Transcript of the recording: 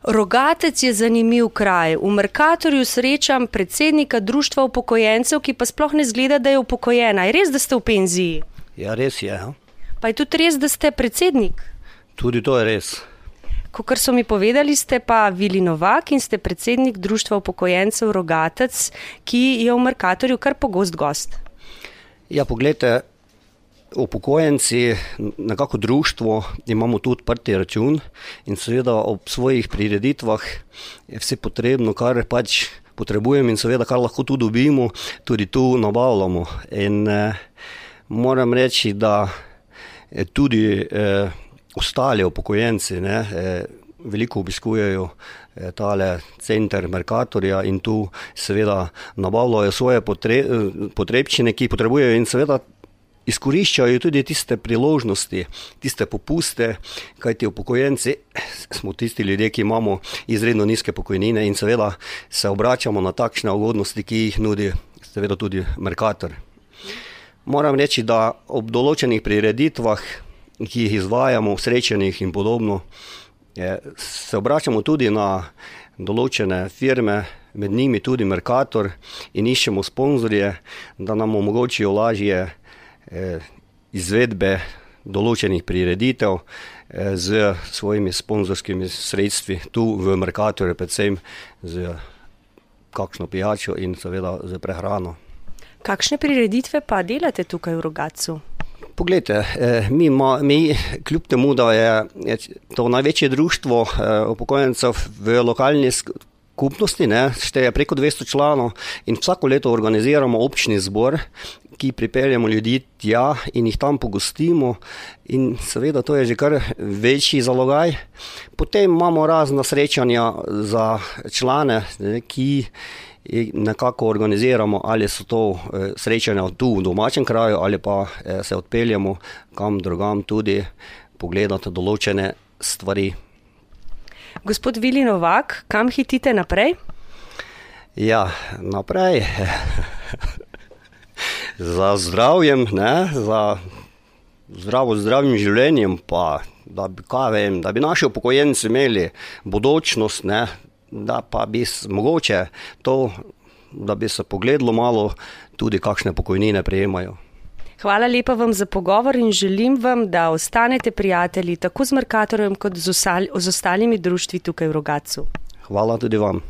Rogatec je zanimiv kraj. V Mercatorju srečam predsednika društva upokojencev, ki pa sploh ne zgleda, da je upokojena. Je res, da ste v penziji? Ja, res je. Ja. Pa je tudi res, da ste predsednik? Tudi to je res. Kakor so mi povedali, ste pa Vili Novak in ste predsednik društva upokojencev Rogatec, ki je v Mercatorju kar pogost gost. Ja, poglejte, upokojenci, nekako društvo, imamo tu odprti račun in seveda ob svojih prireditvah je vse potrebno, kar pač potrebujemo in seveda kar lahko tu dobimo, tudi tu nabavljamo. In moram reči, da tudi ostali upokojenci veliko obiskujejo tale center Mercatorja in tu seveda nabavljajo svoje potrebščine, ki potrebujejo in seveda izkoriščajo tudi tiste priložnosti, tiste popuste, kajti upokojenci smo tisti ljudje, ki imamo izredno nizke pokojnine in seveda se obračamo na takšne ugodnosti, ki jih nudi seveda tudi Mercator. Moram reči, da ob določenih prireditvah, ki jih izvajamo, srečanjih in podobno, se obračamo tudi na določene firme, med njimi tudi Mercator in iščemo sponzorje, da nam omogočijo lažje izvedbe določenih prireditev z svojimi sponzorskimi sredstvi tu v Mercatorju, predvsem z kakšno pijačo in seveda z prehrano. Kakšne prireditve pa delate tukaj v Rogatcu? Poglejte, mi kljub temu, da je to največje društvo upokojencev v lokalni skupnosti, šteje preko 200 članov in vsako leto organiziramo občni zbor, ki pripeljemo ljudi tja in jih tam pogostimo in seveda to je že kar večji zalogaj. Potem imamo razna srečanja za člane, ki nekako organiziramo, ali so to srečanja tu v domačem kraju ali pa se odpeljemo kam drugam tudi pogledati določene stvari. Gospod Vili Novak, kam hitite naprej? Ja, naprej za zdravjem, za zdravim življenjem, pa da bi naši upokojenci imeli bodočnost, da pa bi mogoče to, da bi se pogledalo malo tudi kakšne pokojnine prejemajo. Hvala lepa vam za pogovor in želim vam, da ostanete prijatelji tako z Mercatorjem kot z ostalimi društvi tukaj v Rogatcu. Hvala tudi vam.